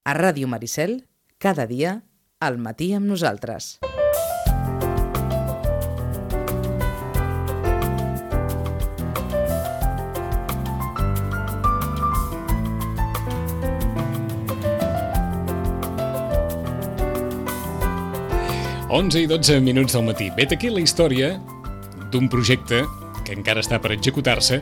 A Ràdio Maricel, cada dia, al matí amb nosaltres. Onze i 12 minuts del matí. Vet aquí la història d'un projecte que encara està per executar-se,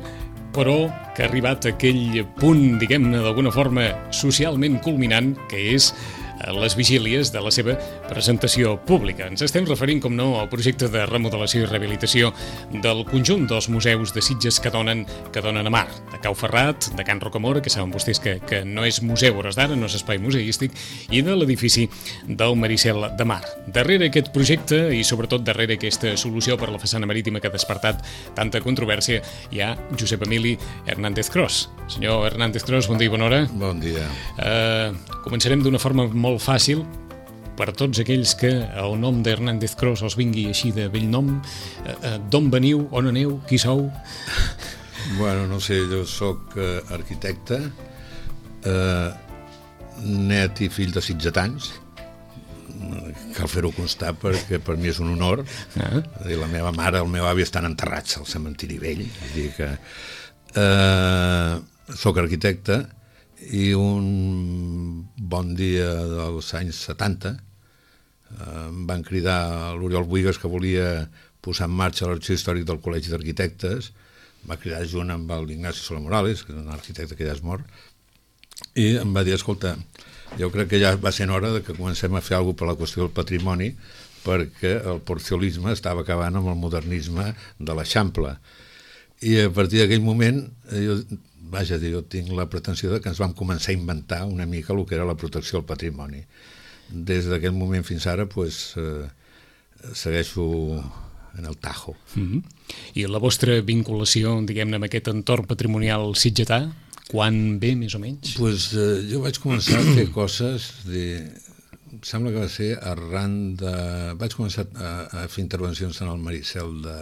però que ha arribat a aquell punt, diguem-ne, d'alguna forma socialment culminant, que és les vigílies de la seva presentació pública. Ens estem referint, com no, al projecte de remodelació i rehabilitació del conjunt dels museus de Sitges que donen a mar, de Cau Ferrat, de Can Rocamora, que saben vostès que no és museu hores d'ara, no és espai museístic, i de l'edifici del Maricel de Mar. Darrere aquest projecte, i sobretot darrere aquesta solució per a la façana marítima que ha despertat tanta controvèrsia, hi ha Josep Emili Hernández Cros. Senyor Hernández Cros, bon dia i bona hora. Bon dia. Començarem d'una forma molt fàcil per a tots aquells que el nom d'Hernández Cros els vingui així de vell nom. D'on veniu, on aneu, qui sou? Bueno, no sé, jo sóc arquitecte, net i fill de sitgetans. Cal fer-ho constar perquè per mi és un honor. La meva mare i el meu avi estan enterrats al cementiri vell. Vull dir que sóc arquitecte i un bon dia dels anys 70 em van cridar l'Oriol Buigas, que volia posar en marxa l'Arxiu Històric del Col·legi d'Arquitectes. Va cridar junt amb l'Ignacio Soler Morales, que és un arquitecte que ja és mort, i em va dir, escolta, jo crec que ja va sent hora de que comencem a fer alguna cosa per la qüestió del patrimoni, perquè el porciolisme estava acabant amb el modernisme de l'Eixample. I a partir d'aquell moment jo tinc la pretensió de que ens vam començar a inventar una mica el que era la protecció del patrimoni. Des d'aquest moment fins ara segueixo en el tajo. I la vostra vinculació, diguem-ne, amb aquest entorn patrimonial sitgetà, quan ve, més o menys? Jo vaig començar a fer coses, em sembla que va ser arran de... Vaig començar a fer intervencions en el Maricel de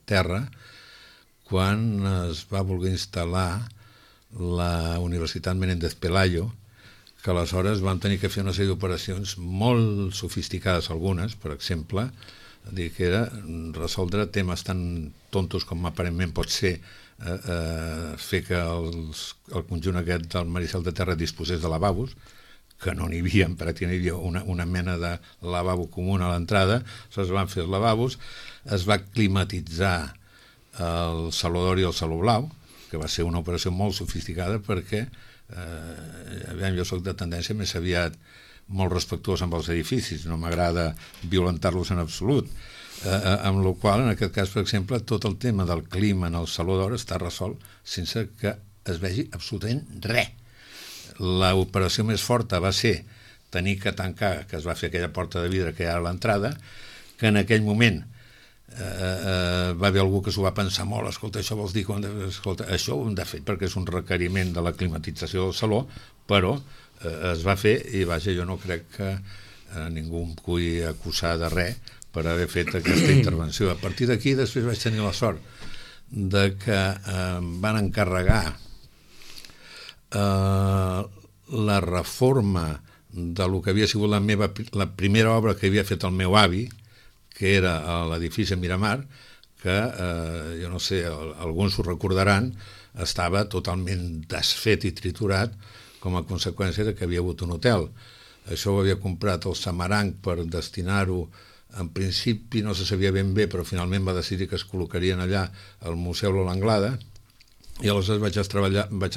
Terra, quan es va voler instal·lar la Universitat Menéndez Pelayo, que aleshores vam tenir que fer una sèrie d'operacions molt sofisticades, algunes, per exemple, que era resoldre temes tan tontos com aparentment pot ser fer que el conjunt aquest del Maricel de Terra disposés de lavabos, que no n'hi havia, pràcticament hi havia una mena de lavabo comú a l'entrada. Es van fer els lavabos, es va climatitzar el Saló d'Or i el Saló Blau, que va ser una operació molt sofisticada perquè jo soc de tendència més aviat molt respectuós amb els edificis, no m'agrada violentar-los en absolut, amb la qual, en aquest cas, per exemple, tot el tema del clima en el Saló d'Or està resolt sense que es vegi absolutament res. L'operació més forta va ser tenir que tancar, que es va fer aquella porta de vidre que hi ha a l'entrada, que en aquell moment va haver algú que s'ho va pensar molt, escolta, això vols dir que això ho hem de fer perquè és un requeriment de la climatització del saló, però es va fer i vaja, jo no crec que ningú em pugui acusar de res per haver fet aquesta intervenció. A partir d'aquí després vaig tenir la sort de que em van encarregar la reforma del que havia sigut la primera obra que havia fet el meu avi, que era l'edifici Miramar, que, jo no sé, alguns ho recordaran, estava totalment desfet i triturat com a conseqüència de que havia hagut un hotel. Això ho havia comprat el Samaranc per destinar-ho, en principi no se sabia ben bé, però finalment va decidir que es col·locarien allà al Museu Lola Anglada, i aleshores vaig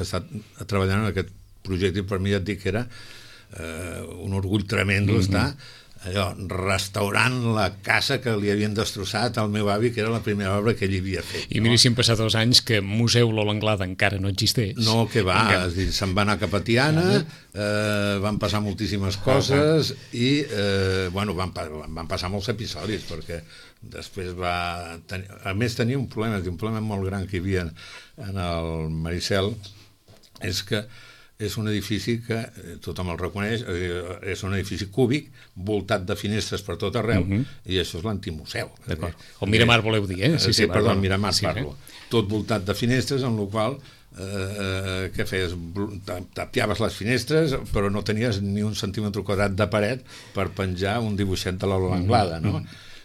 estar treballant en aquest projecte, i per mi ja et dic que era un orgull tremendo estar restaurant la casa que li havien destrossat al meu avi, que era la primera obra que ell havia fet. I mira, si han passat 2 anys que Museu Lola Anglada encara no existeix. No, que va, se'n va anar cap a Tiana, van passar moltíssimes coses i, van passar molts episodis, perquè després a més tenia un problema molt gran que hi havia en el Maricel, és que és un edifici que tothom el reconeix, és un edifici cúbic, voltat de finestres per tot arreu, i això és l'antimuseu. D'acord. El Miramar voleu dir, eh? Sí, perdó, el Miramar parlo. Tot voltat de finestres, en la qual què feies? Tapiaves les finestres, però no tenies ni un centímetre quadrat de paret per penjar un dibuixet de l'Aula Anglada, no?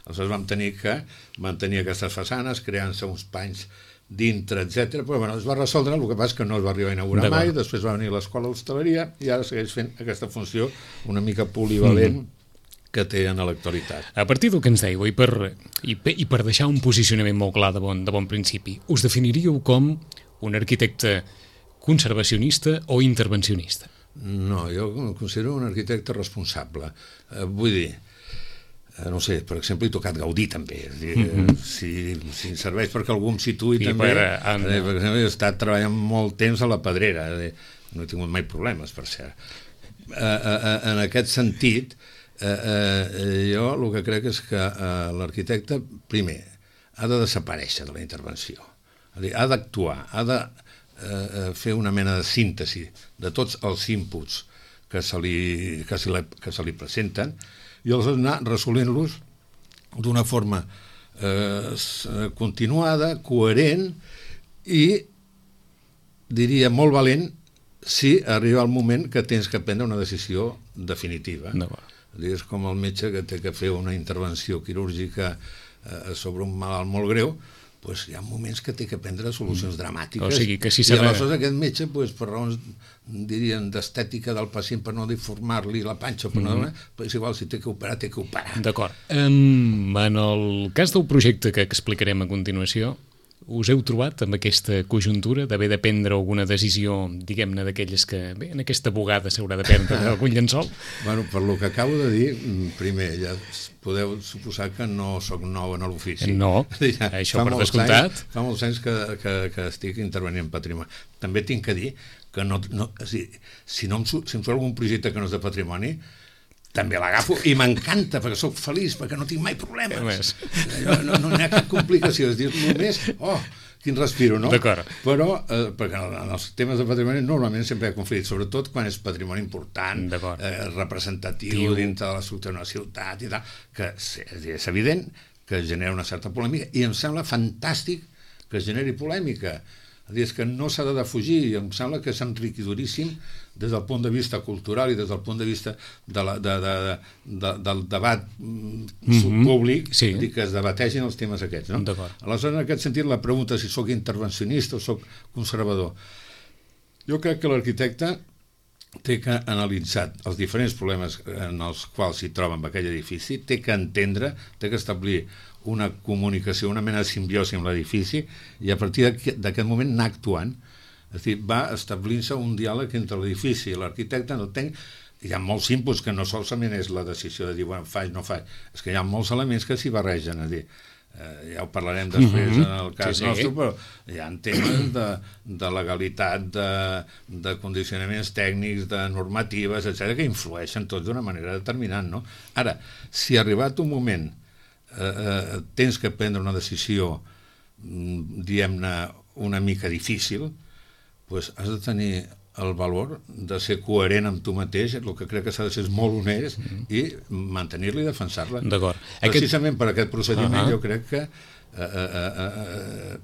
Aleshores vam tenir que mantenir aquestes façanes, creant-se uns panys dintre, etc. Però bueno, es va resoldre, el que passa és que no es va arribar a inaugurar mai, després va venir l'escola d'hostaleria i ara segueix fent aquesta funció una mica polivalent que té en l'actualitat. A partir del que ens dèieu, i per deixar un posicionament molt clar de bon principi, us definiríeu com un arquitecte conservacionista o intervencionista? No, jo em considero un arquitecte responsable. Vull dir, no sé, per exemple, he tocat Gaudí també, és dir, si serveix perquè algú em situï també, per exemple, he estat treballant molt temps a la Pedrera, no he tingut mai problemes, per cert. En aquest sentit, jo el que crec és que l'arquitecte, primer, ha de desaparèixer de la intervenció, ha d'actuar, ha de fer una mena de síntesi de tots els inputs que se li presenten i els anar resolent-los d'una forma continuada, coherent i, diria, molt valent si arriba el moment que tens que prendre una decisió definitiva. És com el metge que té que fer una intervenció quirúrgica sobre un malalt molt greu, doncs hi ha moments que té que prendre solucions dramàtiques. O sigui, que si i aleshores aquest metge, per raons, dirien, d'estètica del pacient, per no deformar-li la panxa, és igual, si té que operar, té que operar. D'acord. En el cas del projecte que explicarem a continuació, us heu trobat amb aquesta conjuntura d'haver de prendre alguna decisió, diguem-ne, d'aquelles que, bé, en aquesta bugada s'haurà de prendre algun llençol? Bueno, per lo que acabo de dir, primer, ja podeu suposar que no sóc nou en l'ofici. No, això per descomptat. Fa molts anys que estic intervenint en patrimoni. També tinc que dir que si em surt algun projecte que no és de patrimoni, també l'agafo i m'encanta perquè sóc feliç, perquè no tinc mai problemes. No hi ha cap complicació, és dir, només, quin respiro, no? D'acord. Però, perquè en els temes de patrimoni normalment sempre hi ha conflit, sobretot quan és patrimoni important, representatiu dintre de l'estructura d'una ciutat i tal, que és evident que genera una certa polèmica i em sembla fantàstic que es generi polèmica. És que no s'ha de defugir i em sembla que és enriquidoríssim des del punt de vista cultural i des del punt de vista del debat públic, que es debategin els temes aquests. Aleshores, en aquest sentit, la pregunta si sóc intervencionista o sóc conservador. Jo crec que l'arquitecte té que analitzar els diferents problemes en els quals s'hi troba en aquell edifici, té que entendre, té que establir una comunicació, una mena de simbiosi amb l'edifici i a partir d'aquest moment anar actuant. És a dir, va establint-se un diàleg entre l'edifici i l'arquitecte. Hi ha molts inputs que no solament és la decisió de dir, bueno, faig, no faig, és que hi ha molts elements que s'hi barregen. És a dir, ja ho parlarem després en el cas nostre, però hi ha temes de legalitat, de condicionaments tècnics, de normatives, etc., que influeixen tots d'una manera determinant, no? Ara, si arribat un moment tens que prendre una decisió, diguem-ne, una mica difícil, doncs has de tenir el valor de ser coherent amb tu mateix, el que crec que s'ha de ser molt honest i mantenir-la i defensar-la. Precisament per aquest procediment jo crec que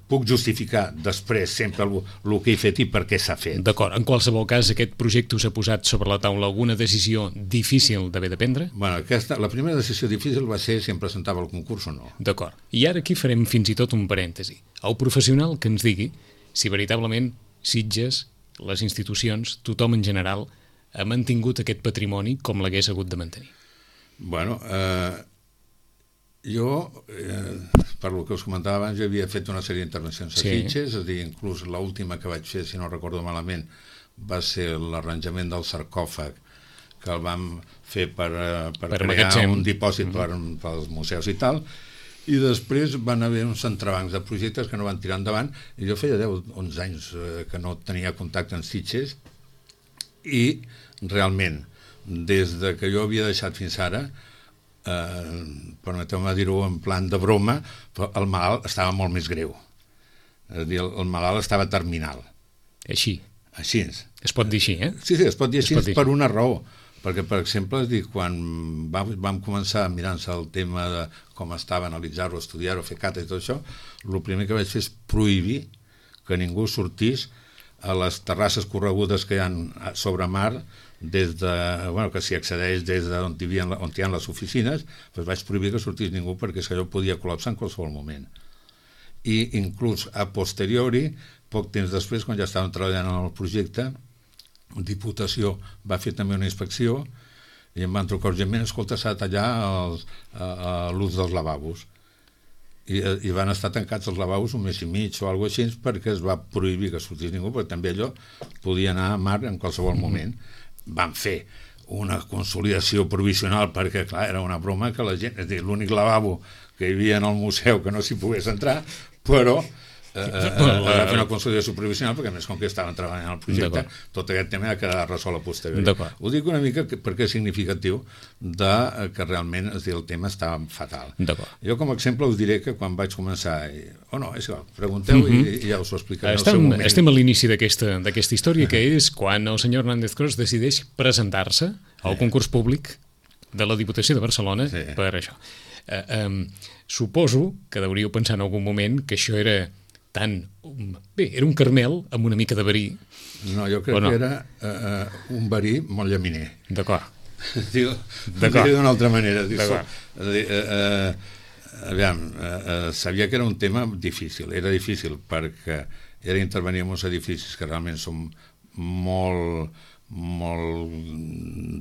puc justificar després sempre el que he fet i per què s'ha fet. D'acord. En qualsevol cas, aquest projecte us ha posat sobre la taula alguna decisió difícil d'haver de prendre? Bueno, la primera decisió difícil va ser si em presentava al concurs o no. D'acord. I ara aquí farem fins i tot un parèntesi. El professional que ens digui si veritablement Sitges, les institucions, tothom en general, ha mantingut aquest patrimoni com l'hagués hagut de mantenir. Bueno, jo, per el que us comentava abans, jo havia fet una sèrie d'intervencions a Sitges, és a dir, inclús l'última que vaig fer, si no recordo malament, va ser l'arranjament del sarcòfag, que el vam fer per crear un dipòsit pels museus i tal, i després van haver uns entrebancs de projectes que no van tirar endavant, i jo feia 10-11 anys que no tenia contacte amb Sitges, i realment, des de que jo havia deixat fins ara, permeteu-me dir-ho en plan de broma, però el malalt estava molt més greu. És a dir, el malalt estava terminal. Així? Així. Es pot dir així, eh? Sí, es pot dir així per una raó. Perquè, per exemple, quan vam començar a mirar-se el tema de com estava, analitzar-ho, estudiar-ho, fer cata i tot això, el primer que vaig fer és prohibir que ningú sortís a les terrasses corregudes que hi ha sobre mar, que s'hi accedeix des d'on hi ha les oficines, doncs vaig prohibir que sortís ningú perquè allò podia col·lapsar en qualsevol moment. I inclús a posteriori, poc temps després, quan ja estàvem treballant en el projecte, Diputació va fer també una inspecció i em van trucar urgentment: escolta, s'ha de tallar l'ús dels lavabos. I van estar tancats els lavabos un mes i mig o alguna cosa així, perquè es va prohibir que sortís ningú, perquè també allò podia anar a mar en qualsevol moment. Van fer una consolidació provisional perquè, clar, era una broma que la gent, és a dir, l'únic lavabo que hi havia en el museu que no s'hi pogués entrar, però va fer una consolidació provisional perquè, a més, com que estaven treballant al projecte, tot aquest tema ha quedat resolt a posteriori. Ho dic una mica perquè és significatiu que realment, és a dir, el tema estava fatal. Jo, com a exemple, us diré que quan vaig començar, és igual, pregunteu i ja us ho explicaré en el seu moment. Estem a l'inici d'aquesta història, que és quan el senyor Hernández Cros decideix presentar-se al concurs públic de la Diputació de Barcelona per això. Suposo que deuríeu pensar en algun moment que això era era un caramel amb una mica de verí. No, jo crec que era un verí molt llaminer. D'acord. Ho diré d'una altra manera. Sabia que era un tema difícil. Era difícil perquè era intervenir en uns edificis que realment són molt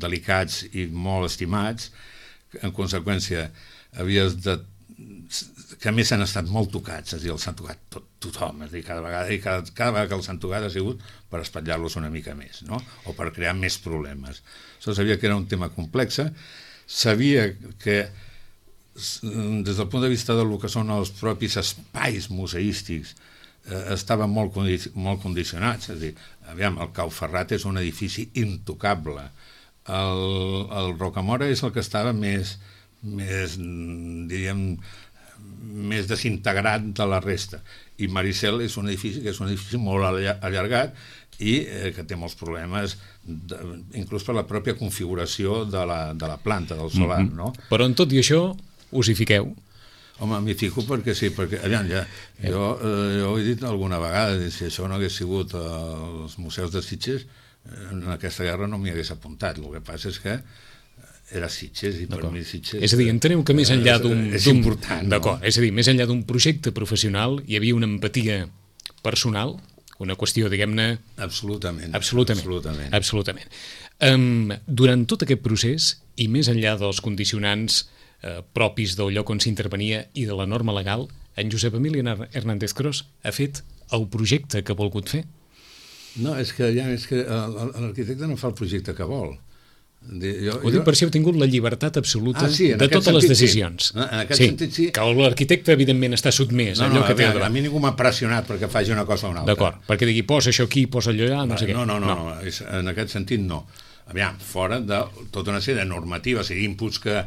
delicats i molt estimats. En conseqüència, havies de... que a més han estat molt tocats, és a dir, els han tocat tothom, és a dir, cada vegada que els han tocat ha sigut per espatllar-los una mica més, no? O per crear més problemes. Sabia que era un tema complex, sabia que des del punt de vista del que són els propis espais museístics estaven molt condicionats, és a dir, el Cau Ferrat és un edifici intocable, el Rocamora és el que estava més diríem, més desintegrat de la resta, i Maricel és un edifici molt allargat i que té molts problemes, inclús per la pròpia configuració de la planta del solar, no? Però en tot i això us hi fiqueu? Home, m'hi fico perquè sí, perquè jo ho he dit alguna vegada, si això no hagués sigut els museus de Sitges, en aquesta guerra no m'hi hagués apuntat. El que passa és que era Sitges i per mi Sitges... És a dir, enteneu que més enllà d'un... És important, no? D'acord, és a dir, més enllà d'un projecte professional hi havia una empatia personal, una qüestió, diguem-ne... Absolutament. Durant tot aquest procés, i més enllà dels condicionants propis del lloc on s'intervenia i de la norma legal, en Josep Emili Hernández Cros ha fet el projecte que ha volgut fer? No, és que l'arquitecte no fa el projecte que vol. Ho dic per si heu tingut la llibertat absoluta de totes les decisions. En aquest sentit sí. Que l'arquitecte evidentment està sotmès a allò que té al davant. A mi ningú m'ha pressionat perquè faci una cosa o una altra. D'acord, perquè digui posa això aquí, posa allò allà, no sé què. No, en aquest sentit no. Fora de tota una sèrie de normatives i inputs que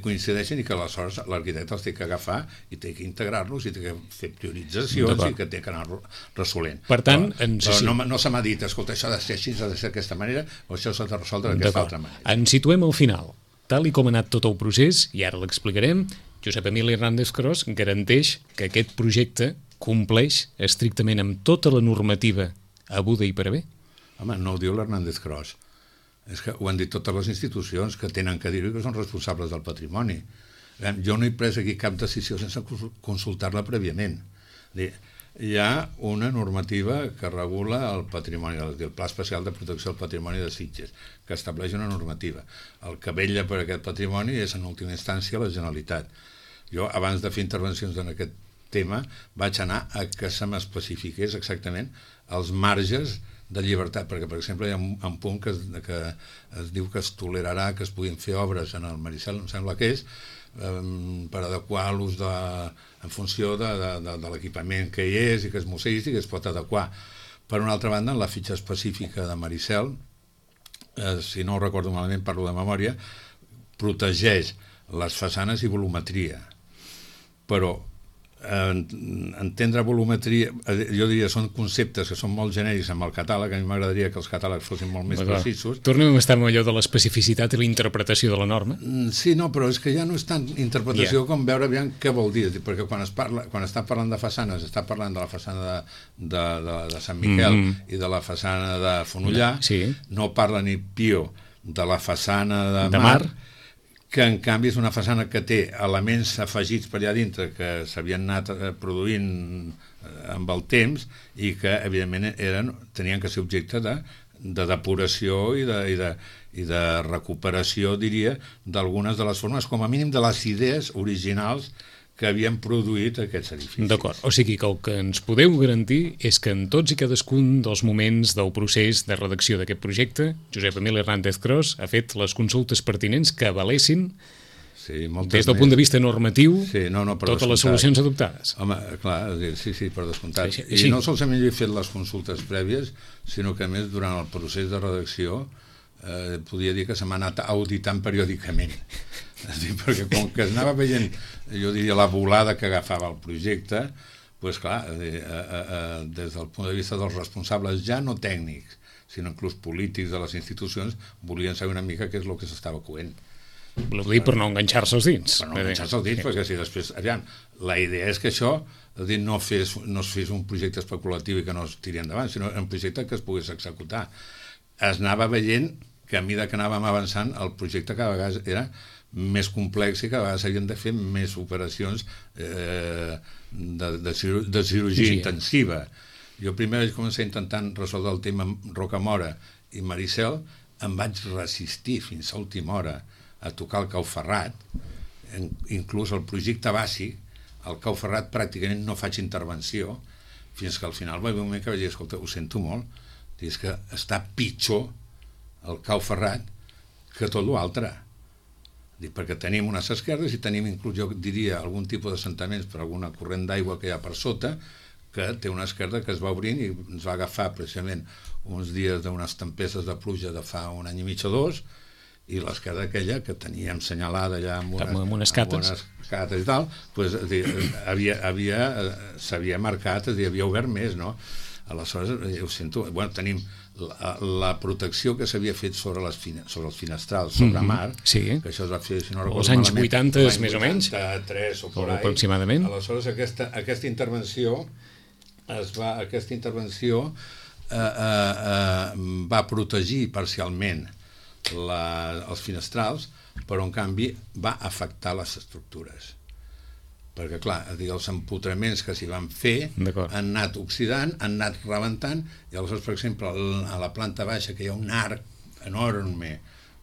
coincideixen i que aleshores l'arquitecte els té que agafar i té que integrar-los i té que fer prioritzacions i que té que anar resolent. Per tant, no se m'ha dit, escolta, això ha de ser així, ha de ser d'aquesta manera o això s'ha de resoldre d'aquesta altra manera. Ens situem al final. Tal i com ha anat tot el procés, i ara l'explicarem, Josep Emili Hernández Cros garanteix que aquest projecte compleix estrictament amb tota la normativa haguda i per haver? Home, no ho diu l'Hernández Cros. És que ho han dit totes les institucions que tenen que dir-ho i que són responsables del patrimoni. Jo no he pres aquí cap decisió sense consultar-la prèviament. Hi ha una normativa que regula el patrimoni, el Pla Especial de Protecció del Patrimoni de Sitges, que estableix una normativa. El que vetlla per aquest patrimoni és, en última instància, la Generalitat. Jo, abans de fer intervencions en aquest tema, vaig anar a que se m'especifiqués exactament els marges de llibertat, perquè, per exemple, hi ha un punt que es diu que es tolerarà que es puguin fer obres en el Maricel, em sembla que és, per adequar l'ús en funció de l'equipament que hi és i que és museístic, es pot adequar. Per una altra banda, en la fitxa específica de Maricel, si no ho recordo malament, parlo de memòria, protegeix les façanes i volumetria, però entendre volumetria, jo diria, són conceptes que són molt genèrics amb el catàleg. A mi m'agradaria que els catàlegs fossin molt més precisos. Tornem a estar amb allò de l'especificitat i la interpretació de la norma. Sí, no, però és que ja no és tant interpretació com veure aviam què vol dir, perquè quan està parlant de façanes, està parlant de la façana de Sant Miquel i de la façana de Fonollar, no parla ni pio de la façana de Mar, que en canvi és una façana que té elements afegits per allà dintre que s'havien anat produint amb el temps i que evidentment tenien que ser objecte de depuració i de recuperació, diria, d'algunes de les formes, com a mínim de les idees originals que havien produït aquests edificis. D'acord, o sigui que el que ens podeu garantir és que en tots i cadascun dels moments del procés de redacció d'aquest projecte, Josep Emili Hernández Cros ha fet les consultes pertinents que avalessin des del punt de vista normatiu totes les solucions adoptades. Home, clar, sí, per descomptat. I no solament jo he fet les consultes prèvies, sinó que a més durant el procés de redacció podia dir que se m'ha anat auditant periòdicament. Perquè com que es anava veient, jo diria, la volada que agafava el projecte, doncs clar, des del punt de vista dels responsables ja no tècnics, sinó inclús polítics de les institucions, volien saber una mica què és el que s'estava coent. Vol dir per no enganxar-se els dits. Per no enganxar-se els dits, perquè si després... Aviam, la idea és que això no es fes un projecte especulatiu i que no es tiri endavant, sinó un projecte que es pogués executar. Es anava veient que a mesura que anàvem avançant el projecte cada vegada era més complex i cada vegada s'havien de fer més operacions de cirurgia intensiva. Jo primer vaig començar intentant resoldre el tema Rocamora i Maricel, em vaig resistir fins a última hora a tocar el Cau Ferrat, inclús el projecte bàsic, el Cau Ferrat pràcticament no faig intervenció, fins que al final va haver un moment que vaig dir, escolta, ho sento molt, és que està pitjor el Cau Ferrat que tot l'altre. Perquè tenim unes esquerdes i tenim inclús, jo diria, algun tipus d'assentaments per alguna corrent d'aigua que hi ha per sota, que té una esquerda que es va obrint i ens va agafar precisament uns dies d'unes tempestes de pluja de fa un any i mig o dos, i l'esquerda aquella que teníem senyalada allà amb unes cates i tal, s'havia marcat, havia obert més, no? Aleshores, ho sento, tenim la protecció que s'havia fet sobre els finestrals, sobre Mar, que això es va fer, si no recordo malament, als anys 80, més o menys, 83 o por ahí, aproximadament. Aleshores, aquesta intervenció va protegir parcialment els finestrals, però en canvi va afectar les estructures. Perquè, clar, els empotraments que s'hi van fer han anat oxidant, han anat rebentant, i aleshores, per exemple, a la planta baixa, que hi ha un arc enorme,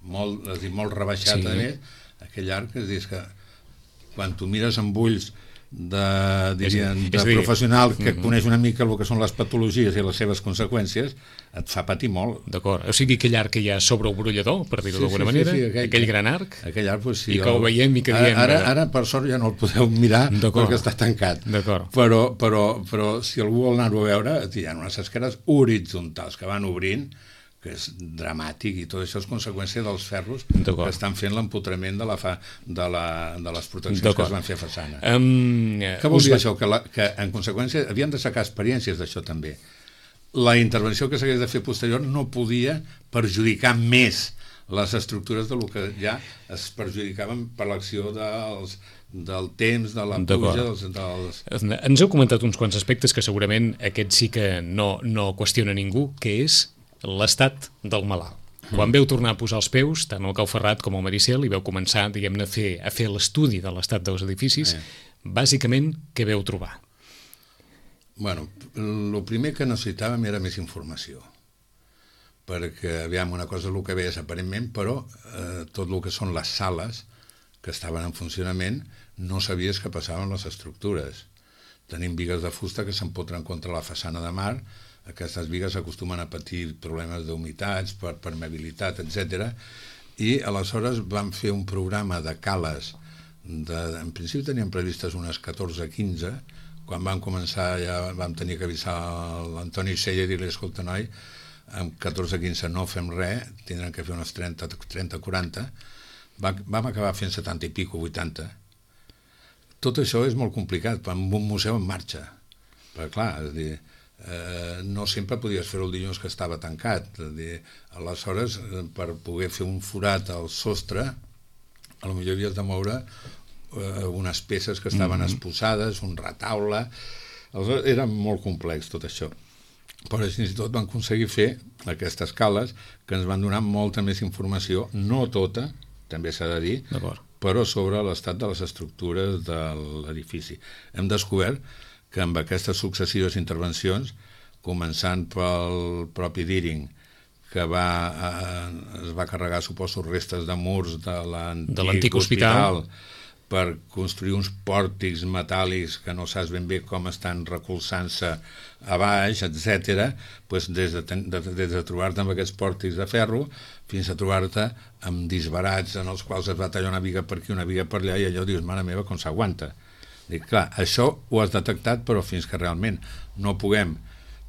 molt rebaixat, a més, aquell arc, és que quan tu mires amb ulls de professional que coneix una mica el que són les patologies i les seves conseqüències, et fa patir molt. D'acord, o sigui, aquell arc que hi ha sobre el brollador, per dir-ho d'alguna manera, aquell gran arc, i que ho veiem i que diem... Ara, per sort, ja no el podeu mirar perquè està tancat. Però si algú vol anar-ho a veure, hi ha unes esqueres horitzontals que van obrint, que és dramàtic, i tot això és conseqüència dels ferros que estan fent l'empotrament de les proteccions que es van fer a façana. Què vol dir això? Que en conseqüència havien de sacar experiències d'això també. La intervenció que s'hagués de fer posterior no podia perjudicar més les estructures del que ja es perjudicaven per l'acció del temps, de la pluja... Ens heu comentat uns quants aspectes que segurament aquest sí que no qüestiona ningú, que és l'estat del malalt. Quan veu tornar a posar els peus, tant al Cau Ferrat com al Maricel, i veu començar, diguem-ne, a fer l'estudi de l'estat dels edificis, bàsicament, què veu trobar? Bueno, el primer que necessitàvem era més informació, perquè, aviam, una cosa és el que veies aparentment, però tot el que són les sales que estaven en funcionament no sabies què passava amb les estructures. Tenim bigues de fusta que s'empotren contra la façana de Mar. Aquestes bigues acostumen a patir problemes d'humitats, per permeabilitat, etc. I aleshores vam fer un programa de cales, en principi teníem previstes unes 14-15, quan vam començar ja vam tenir que avisar l'Antoni Sella i dir-li, escolta, noi, amb 14-15 no fem res, tindran que fer unes 30-40, vam acabar fent 70 i pico, 80. tot això és molt complicat amb un museu en marxa. Perquè, clar, és a dir, no sempre podies fer-ho el dilluns que estava tancat. És a dir, aleshores, per poder fer un forat al sostre, potser havies de moure unes peces que estaven exposades, un retaule. Aleshores, era molt complex tot això. Però fins i tot van aconseguir fer aquestes cales que ens van donar molta més informació, no tota, també s'ha de dir, però sobre l'estat de les estructures de l'edifici. Hem descobert que amb aquestes successives intervencions, començant pel propi Deering, que es va carregar, suposo, restes de murs de l'antic hospital per construir uns pòrtics metàl·lics que no saps ben bé com estan recolzant-se a baix, etc. Pues des de trobar-te amb aquests pòrtics de ferro fins a trobar-te amb disbarats en els quals es va tallar una viga per aquí, una viga per allà, i allò dius, mare meva, com s'aguanta. Dic, clar, això ho has detectat, però fins que realment no puguem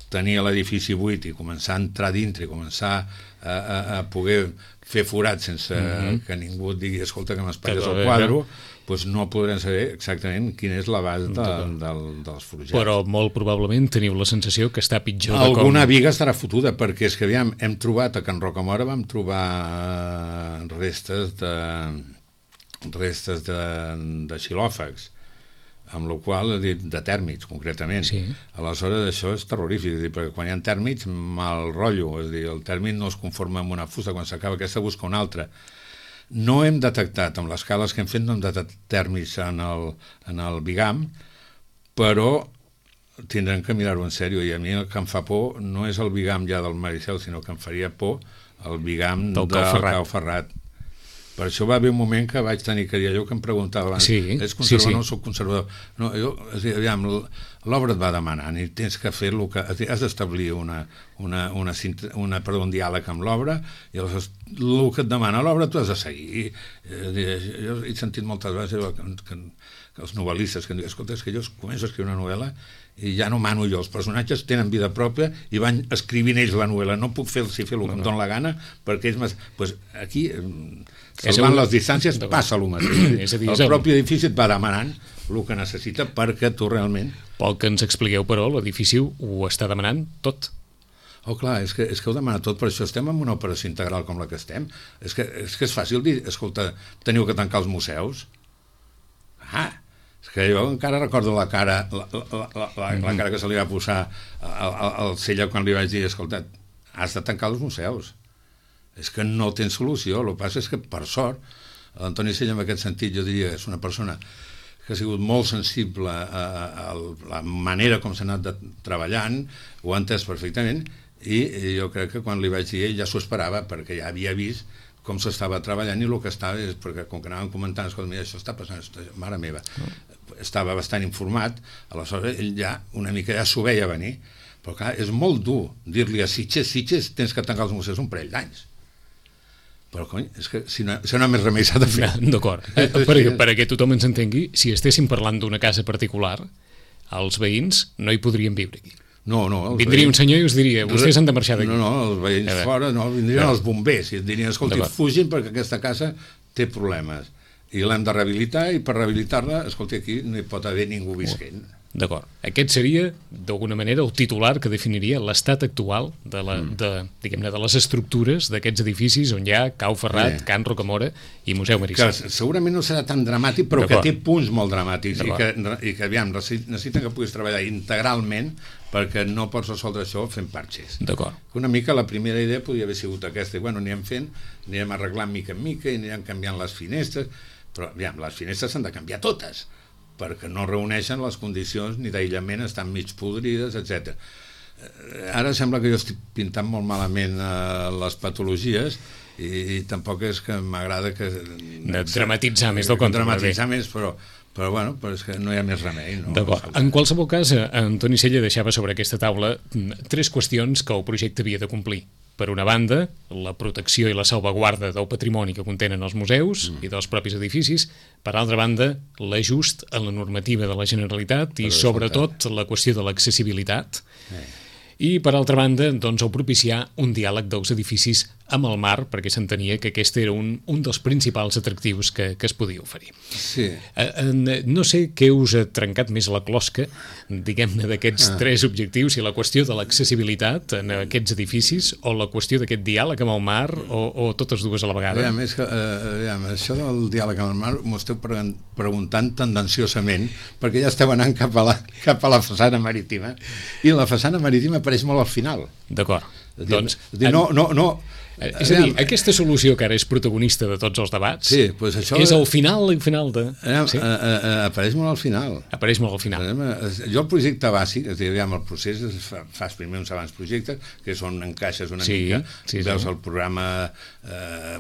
tenir l'edifici buit i començar a entrar dintre i començar a poder fer forats sense que ningú et digui, escolta, que m'espatlles el quadre, doncs no podrem saber exactament quin és l'abast dels forjats. Però molt probablement teniu la sensació que està pitjor de com... Alguna viga estarà fotuda, perquè és que aviam, hem trobat a Can Rocamora, vam trobar restes de xilòfags, amb la qual de tèrmits, concretament. Sí. Aleshores, això és terrorífic, perquè quan hi ha tèrmits, mal rotllo, és a dir, el tèrmit no es conforma amb una fusta, quan s'acaba aquesta busca una altra. No hem detectat, amb les cales que hem fet, no hem detectat tèrmits en el bigam, però tindrem que mirar-ho en sèrio, i a mi el que em fa por no és el bigam ja del Maricel, sinó que em faria por el bigam del Cau Ferrat. Per això va haver un moment que vaig tenir que dir allò que em preguntava abans, ets conservador o no soc conservador? No, aviam, l'obra et va demanant i tens que fer el que... Has d'establir un diàleg amb l'obra, i el que et demana l'obra tu has de seguir. Jo he sentit moltes vegades que els novel·listes que em diuen, escolta, és que jo començo a escriure una novel·la i ja no mano jo, els personatges tenen vida pròpia i van escrivint ells la novel·la, no puc fer el que em dóna la gana, perquè ells... Aquí, salvant les distàncies, passa el mateix. El propi edifici et va demanant el que necessita perquè tu realment... Pel que ens expliqueu, però, l'edifici ho està demanant tot. Oh, clar, és que ho demana tot, per això estem en una operació integral com la que estem. És que és fàcil dir, escolta, teniu que tancar els museus. És que jo encara recordo la cara que se li va posar al Sella quan li vaig dir, escolta, has de tancar els museus. És que no tens solució. El que passa és que, per sort, l'Antoni Sella, en aquest sentit, jo diria que és una persona que ha sigut molt sensible a la manera com s'ha anat treballant, ho ha entès perfectament, i jo crec que quan li vaig dir, ell ja s'ho esperava, perquè ja havia vist com s'estava treballant, i el que estava és, perquè com que anàvem comentant, escolta, mira, això està passant, mare meva, estava bastant informat, aleshores ell ja una mica ja s'ho veia venir, però clar, és molt dur dir-li a Sitges tens que tancar els museus un parell d'anys. Però, cony, és que si no hi ha més remei s'ha de fer. D'acord. Perquè tothom ens entengui, si estéssim parlant d'una casa particular, els veïns no hi podrien viure aquí. No. Vindria un senyor i us diria, vostès han de marxar d'aquí. No, els veïns fora, vindrien els bombers i et dirien, escolti, fugin perquè aquesta casa té problemes i l'hem de rehabilitar, i per rehabilitar-la, escolti, aquí no hi pot haver ningú visquent. D'acord. Aquest seria, d'alguna manera, el titular que definiria l'estat actual de les estructures d'aquests edificis on hi ha Cau Ferrat, Can Rocamora i Museu Maricel. Que segurament no serà tan dramàtic, però que té punts molt dramàtics i que aviam, necessiten que puguis treballar integralment, perquè no pots resoldre això fent parxes. D'acord. Una mica la primera idea podria haver sigut aquesta, i anirem arreglant mica en mica i anirem canviant les finestres, però aviam, les finestres s'han de canviar totes, perquè no reuneixen les condicions ni d'aïllament, estan mig podrides, etc. Ara sembla que jo estic pintant molt malament les patologies, i tampoc és que m'agrada que... Dramatitzar més del compte. Dramatitzar més, però bueno, és que no hi ha més remei. D'acord. En qualsevol cas, Antoni Sella deixava sobre aquesta taula 3 qüestions que el projecte havia de complir. Per una banda, la protecció i la salvaguarda del patrimoni que contenen els museus i dels propis edificis. Per altra banda, l'ajust a la normativa de la Generalitat i, sobretot, la qüestió de l'accessibilitat. I, per altra banda, doncs, el propiciar un diàleg dels edificis amb el mar, perquè s'entenia que aquest era un dels principals atractius que es podia oferir. Sí. No sé què us ha trencat més la closca, diguem-ne, d'aquests tres objectius, si la qüestió de l'accessibilitat en aquests edificis o la qüestió d'aquest diàleg amb el mar o totes dues a la vegada. Això del diàleg amb el mar m'ho esteu preguntant tendenciosament, perquè ja esteu anant cap a la façana marítima, i la façana marítima apareix molt al final. D'acord. Doncs, és a dir, aquesta solució que ara és protagonista de tots els debats, sí, doncs això és al final de... Sí? Apareix molt al final. Apareix molt al final. Jo el projecte bàsic, és a dir, el procés fas primer uns abans projectes, que és on encaixes una mica, veus el programa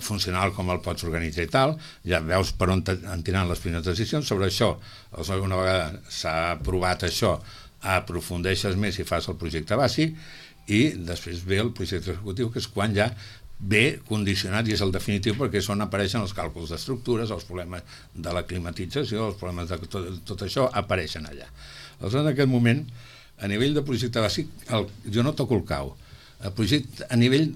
funcional, com el pots organitzar i tal, ja veus per on tiran les primeres decisions. Sobre això, una vegada s'ha aprovat això, aprofundeixes més i fas el projecte bàsic, i després ve el projecte executiu, que és quan ja ve condicionat i és el definitiu, perquè és on apareixen els càlculs d'estructures, els problemes de la climatització, els problemes de tot això apareixen allà. Aleshores, en aquest moment, a nivell de projecte bàsic, jo no toco el cau. El projecte a nivell,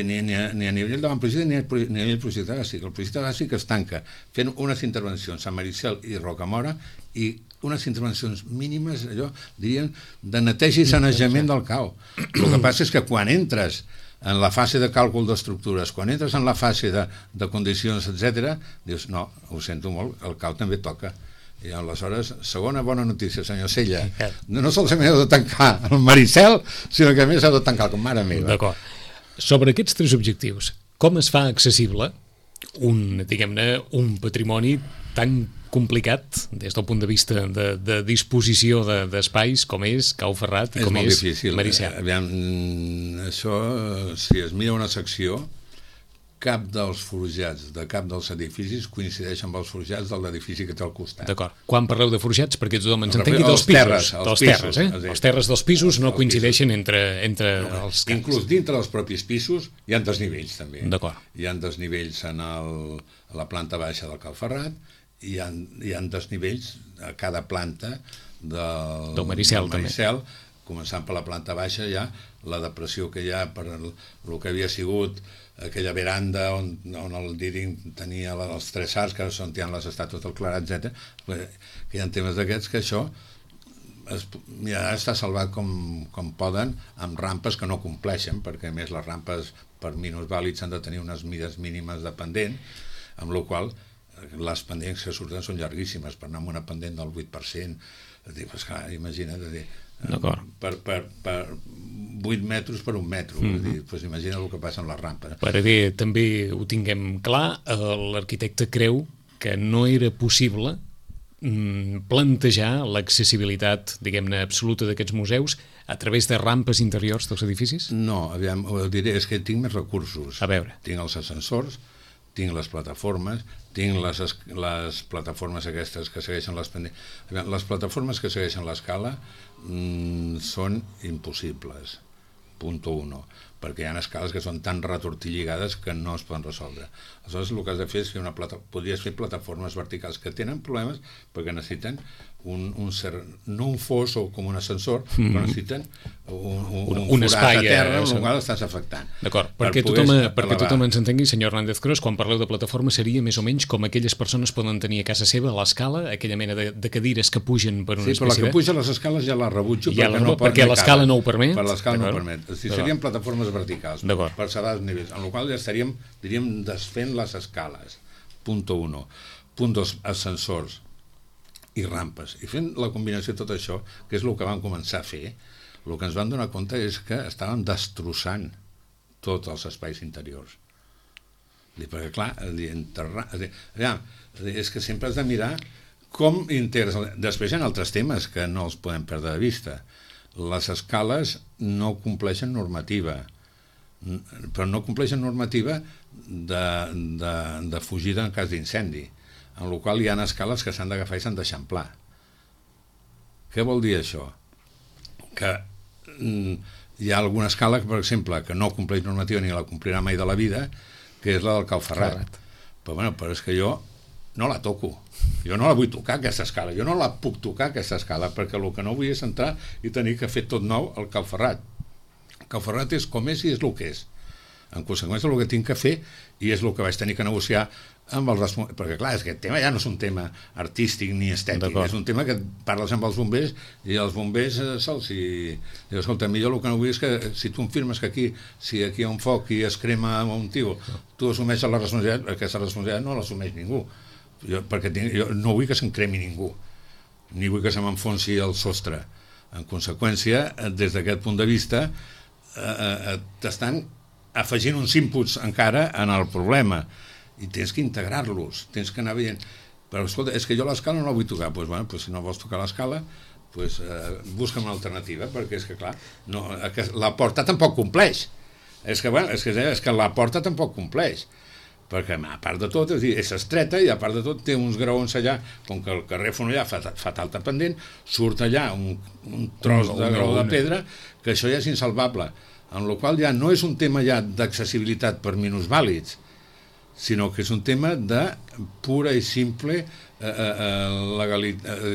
ni a nivell d'avantprojecte ni a nivell projecte bàsic. El projecte bàsic es tanca fent unes intervencions a Maricel i Rocamora i unes intervencions mínimes, allò, dirien, de neteja i sanejament del cau. El que passa és que quan entres en la fase de càlcul d'estructures, quan entres en la fase de condicions, etc., dius, no, ho sento molt, el cau també toca. I aleshores, segona bona notícia, senyor Sella, no solament heu de tancar el Maricel, sinó que a més heu de tancar com mare meva. D'acord. Sobre aquests tres objectius, com es fa accessible un patrimoni tan complicat des del punt de vista de disposició d'espais com és Cau Ferrat i com és Maricel? Aviam, això, si es mira una secció, cap dels forjats de cap dels edificis coincideix amb els forjats de l'edifici que té al costat. D'acord. Quan parleu de forjats, perquè tothom ens entengui, dels pisos. Els terres dels pisos no coincideixen entre els camps. Inclús dintre dels propis pisos hi ha desnivells, també. D'acord. Hi ha desnivells a la planta baixa del Cau Ferrat, hi ha desnivells a cada planta del Maricel, començant per la planta baixa, ja la depressió que hi ha per el que havia sigut aquella veranda on el Díring tenia els tres arcs, que són les estàtues del Clarà, etc. Que hi ha temes d'aquests que això està salvat com poden, amb rampes que no compleixen, perquè a més les rampes per minusvàlids han de tenir unes mides mínimes de pendent, amb la qual les pendents que surten són llarguíssimes, per anar amb una pendent del 8%. Imagina't, per 8 metres per 1 metro, imagina el que passa amb les rampes. Perquè també ho tinguem clar, l'arquitecte creu que no era possible plantejar l'accessibilitat, diguem-ne, absoluta d'aquests museus a través de rampes interiors dels edificis? No, aviam, ho diré, és que tinc més recursos. A veure. Tinc els ascensors, tinc les plataformes, tinc les plataformes aquestes que segueixen les pendents. Les plataformes que segueixen l'escala són impossibles, punt 1, perquè hi ha escales que són tan retortilligades que no es poden resoldre. Aleshores, el que has de fer és fer podries fer plataformes verticals que tenen problemes perquè necessiten no un fos o com un ascensor, però necessiten un espai a terra en el qual estàs afectant. D'acord, perquè tothom ens entengui, senyor Hernández Cros, quan parleu de plataforma seria més o menys com aquelles persones poden tenir a casa seva a l'escala, aquella mena de cadires que pugen per una espècie de... Sí, però la que puja a les escales ja la rebutjo perquè l'escala no ho permet. Per l'escala no ho permet. Serien plataformes verticals per sedar els nivells, en la qual ja estaríem, diríem, desfent les escales. Punt 1. Punt 2, ascensors i rampes. I fent la combinació de tot això, que és el que vam començar a fer, el que ens vam donar compte és que estàvem destrossant tots els espais interiors. Perquè, clar, és que sempre has de mirar com integres. Després hi ha altres temes que no els podem perdre de vista. Les escales no compleixen normativa, però no compleixen normativa de fugida en cas d'incendi, en la qual hi ha escales que s'han d'agafar i s'han d'eixamplar. Què vol dir això? Que hi ha alguna escala, per exemple, que no compleix normativa ni la complirà mai de la vida, que és la del Cau Ferrat. Però és que jo no la toco. Jo no la vull tocar, aquesta escala. Jo no la puc tocar, aquesta escala, perquè el que no vull és entrar i tenir que fer tot nou al Cau Ferrat. El Cau Ferrat és com és i és el que és. En conseqüència, el que tinc que fer, i és el que vaig tenir que negociar amb el responsable, perquè clar, és que aquest tema ja no és un tema artístic ni estètic, és un tema que parles amb els bombers i els bombers sols i dius, escolta, millor el que no vull és que si tu em firmes que aquí, si aquí hi ha un foc i es crema un tio, tu assumeixes la responsabilitat, aquesta responsabilitat no l'assumeix ningú, perquè jo no vull que se'n cremi ningú, ni vull que se m'enfonsi el sostre. En conseqüència, des d'aquest punt de vista, t'estan afegint uns inputs encara en el problema i tens que integrar-los, tens que anar veient, però escolta, és que jo l'escala no la vull tocar, doncs, bueno, si no vols tocar l'escala, doncs, busca'm una alternativa, perquè és que clar, no, la porta tampoc compleix, és que la porta tampoc compleix, perquè a part de tot és estreta i a part de tot té uns graons allà, com que el carrer Fonollar fa talta pendent, surt allà un tros de graó de pedra que això ja és insalvable, en la qual ja no és un tema ja d'accessibilitat per minusvàlids, sinó que és un tema de pura i simple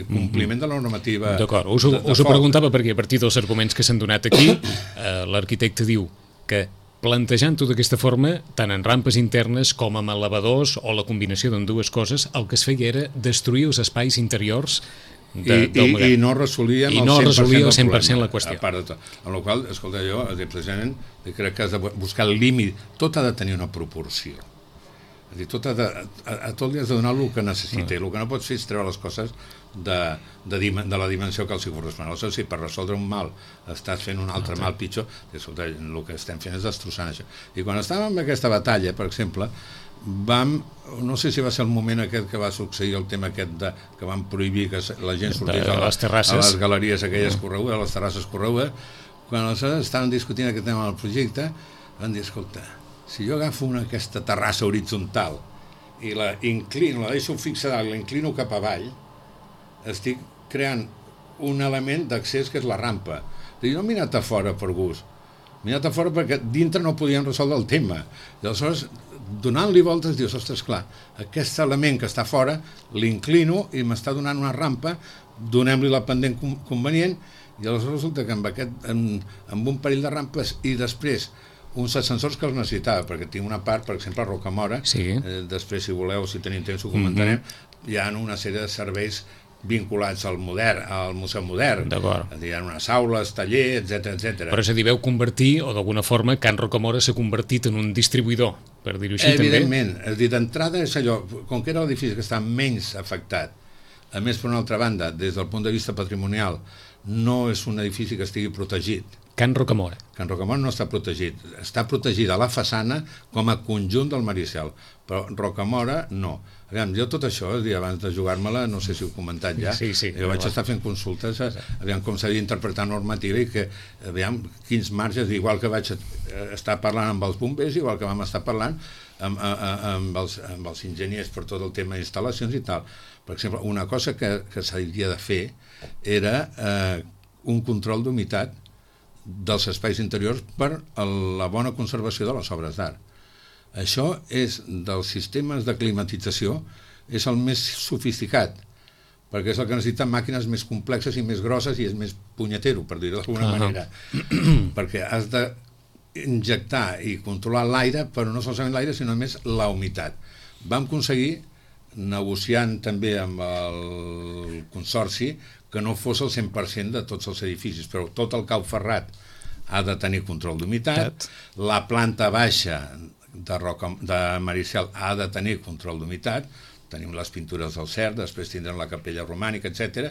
compliment de la normativa. D'acord, us ho preguntava perquè a partir dels arguments que s'han donat aquí, l'arquitecte diu que plantejant-ho d'aquesta forma, tant en rampes internes com amb elevadors o la combinació d'ambdues coses, el que es feia era destruir els espais interiors i no resolia el 100% la qüestió. A part de tot. En la qual, escolta, jo precisament crec que has de buscar el límit. Tot ha de tenir una proporció. És a dir, a tot li has de donar el que necessita. El que no pots fer és treure les coses de la dimensió que els hi correspon. Aleshores, si per resoldre un mal estàs fent un altre mal pitjor, escolta, el que estem fent és destrossant això. I quan estàvem en aquesta batalla, per exemple, no sé si va ser el moment aquest que va succeir el tema aquest que van prohibir que la gent sortís a les galeries aquelles corregudes, a les terrasses corregudes, quan aleshores estaven discutint aquest tema del projecte, van dir, escolta, si jo agafo aquesta terrassa horitzontal i la inclino, la deixo fixada, la inclino cap avall, estic creant un element d'accés que és la rampa. Jo no m'he anat a fora per gust, m'he anat a fora perquè dintre no podien resoldre el tema. I aleshores, donant-li voltes, dius, ostres, clar, aquest element que està fora, l'inclino i m'està donant una rampa, donem-li la pendent convenient, i aleshores resulta que amb un parell de rampes i després uns ascensors que els necessitava, perquè tinc una part, per exemple, a Rocamora, després, si voleu, si tenim temps, ho comentarem, hi ha una sèrie de serveis vinculats al Museu Modern. Hi ha unes aules, tallers, etc. Però és a dir, veu convertir, o d'alguna forma, Can Rocamora s'ha convertit en un distribuïdor, per dir-ho així, també? Evidentment. És a dir, d'entrada és allò, com que era l'edifici que està menys afectat, a més, per una altra banda, des del punt de vista patrimonial, no és un edifici que estigui protegit. Can Rocamora. Can Rocamora no està protegit. Està protegida la façana com a conjunt del Maricel, però Rocamora no. Aviam, jo tot això, abans de jugar-me-la, no sé si ho he comentat ja, jo vaig estar fent consultes, aviam com s'havia d'interpretar normativa i que, aviam, quins marges, igual que vaig estar parlant amb els bombers, igual que vam estar parlant amb els enginyers per tot el tema d'instal·lacions i tal. Per exemple, una cosa que s'havia de fer era un control d'humitat dels espais interiors per la bona conservació de les obres d'art. Això és dels sistemes de climatització, és el més sofisticat, perquè és el que necessita màquines més complexes i més grosses i és més punyetero, per dir-ho d'alguna manera, perquè has d'injectar i controlar l'aire, però no solament l'aire, sinó més la humitat. Vam aconseguir, negociant també amb el consorci, que no fos el 100% de tots els edificis, però tot el cau ferrat ha de tenir control d'humitat, la planta baixa de Maricel ha de tenir control d'humitat, tenim les pintures del CERT, després tindrem la capella romànica, etc.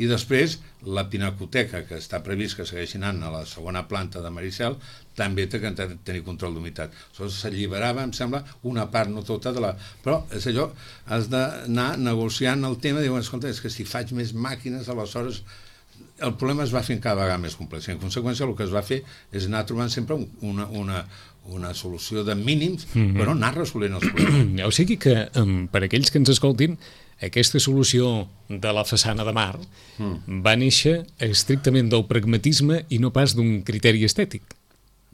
I després la pinacoteca, que està previst que segueixi anant a la segona planta de Maricel, també té que tenir control d'humitat. Aleshores s'alliberava, em sembla, una part, no tota de la... Però és allò, has d'anar negociant el tema, diuen, escolta, és que si faig més màquines, aleshores el problema es va fent cada vegada més complex. En conseqüència, el que es va fer és anar trobant sempre una solució de mínims, però anar resolent els problemes. O sigui que, per aquells que ens escoltin, aquesta solució de la façana de mar va néixer estrictament del pragmatisme i no pas d'un criteri estètic.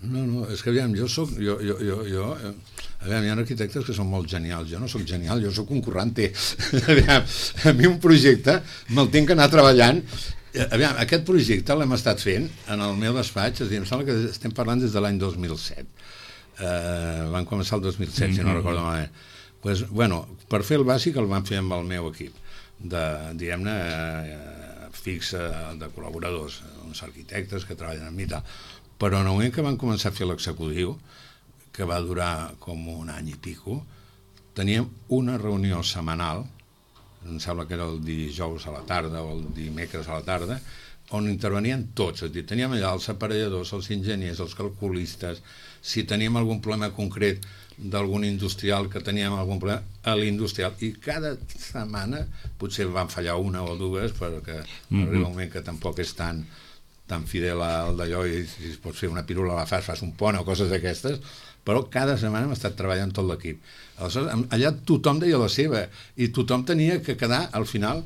No, és que aviam, aviam, hi ha arquitectes que són molt genials, jo no sóc genial, jo sóc un currante. Aviam, a mi un projecte me'l tinc que anar treballant. Aviam, aquest projecte l'hem estat fent en el meu despatx, és a dir, em sembla que estem parlant des de l'any 2007. van començar el 2007, si no recordo malament. Pues, bueno, per fer el bàsic el vam fer amb el meu equip, diguem-ne, fix de col·laboradors, uns arquitectes que treballen amb mi i tal. Però en el moment que van començar a fer l'executiu, que va durar com un any i pico, teníem una reunió setmanal, em sembla que era el dijous a la tarda o el dimecres a la tarda, on intervenien tots, és a dir, teníem allà els aparelladors, els enginyers, els calculistes, si teníem algun problema concret d'algun industrial, que teníem algun problema a l'industrial, i cada setmana potser van fallar una o dues, perquè arriba un moment que tampoc és tan fidel al d'allò, i si es pot fer una pirula a la fas un pont o coses d'aquestes, però cada setmana hem estat treballant tot l'equip. Aleshores, allà tothom deia la seva, i tothom tenia que quedar, al final,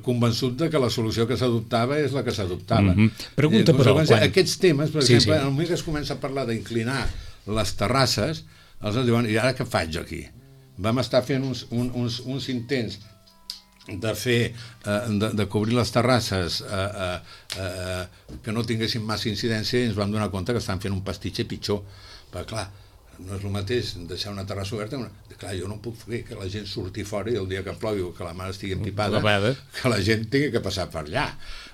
convençut de que la solució que s'adoptava és la que s'adoptava. Pregunta, però, aquests temes, per exemple, en el moment que es comença a parlar d'inclinar les terrasses, els diuen, i ara què faig aquí? Vam estar fent uns intents de fer, de cobrir les terrasses que no tinguessin massa incidència, i ens vam donar compte que estan fent un pastitxer pitjor, perquè clar, no és el mateix deixar una terrassa oberta, clar, jo no puc fer que la gent surti fora i el dia que plogui o que la mar estigui empipada, que la gent tingui que passar per allà.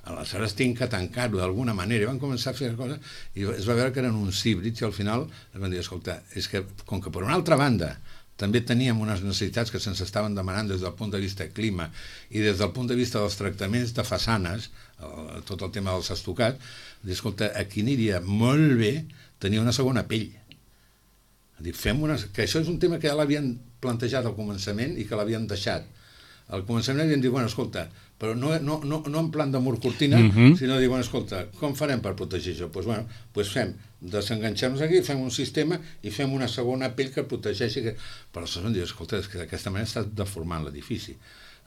Aleshores tinc que tancar-ho d'alguna manera, i van començar a fer coses, i es va veure que eren uns híbrids, i al final es van dir, escolta, és que com que per una altra banda també teníem unes necessitats que se'ns estaven demanant des del punt de vista clima i des del punt de vista dels tractaments de façanes, tot el tema dels estucats, escolta, aquí aniria molt bé tenir una segona pell. Que això és un tema que ja l'havien plantejat al començament i que l'havien deixat. Al començament havien dit, bueno, escolta, però no en plan de mur cortina, sinó dir, bueno, escolta, com farem per protegir això? Doncs bueno, desenganxem-nos aquí, fem un sistema i fem una segona pell que protegeixi. Però aleshores vam dir, escolta, és que d'aquesta manera està deformant l'edifici.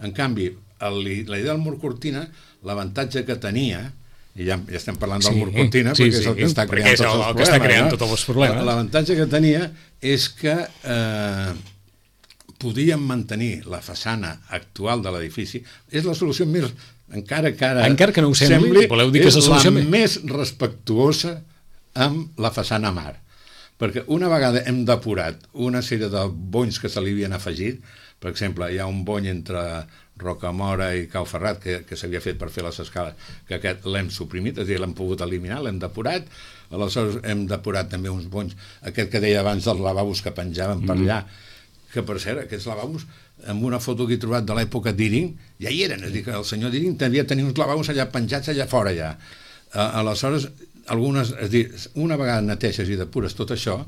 En canvi, la idea del mur cortina, l'avantatge que tenia, i ja estem parlant del mur cortina, perquè és el que està creant tots els problemes. L'avantatge que tenia és que podíem mantenir la façana actual de l'edifici. És la solució més, encara que no ho sembli, voleu dir que és la més respectuosa amb la façana mar. Perquè una vegada hem depurat una sèrie de bonys que se li havien afegit, per exemple, hi ha un bony entre Rocamora i Cau Ferrat que s'havia fet per fer les escales, que aquest l'hem suprimit, és a dir, l'hem pogut eliminar, l'hem depurat. Aleshores hem depurat també uns bonys, aquest que deia abans dels lavabos que penjaven per allà, que per cert, aquests lavabos, amb una foto que he trobat de l'època d'Iring, ja hi eren, és a dir, que el senyor d'Iring devia tenir uns lavabos allà penjats allà fora ja. Aleshores, és a dir, una vegada neteges i depures tot això,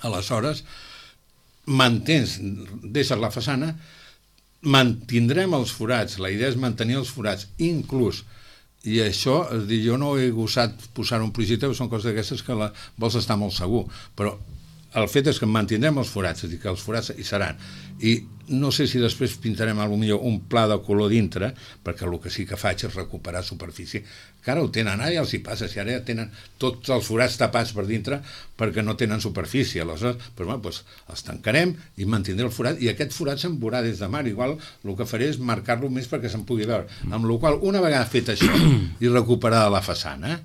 aleshores deixes la façana, mantindrem els forats, la idea és mantenir els forats, inclús, i això, és a dir, jo no he gosat posar un projecte, són coses d'aquestes que vols estar molt segur, però el fet és que mantindrem els forats, és a dir, que els forats hi seran, i no sé si després pintarem potser un pla de color dintre, perquè el que sí que faig és recuperar superfície, que ara ho tenen, ara ja els hi passa, si ara ja tenen tots els forats tapats per dintre perquè no tenen superfície, aleshores els tancarem i mantindrem el forat, i aquest forat se'n veurà des de mar, igual el que faré és marcar-lo més perquè se'n pugui veure, amb la qual una vegada fet això i recuperada la façana,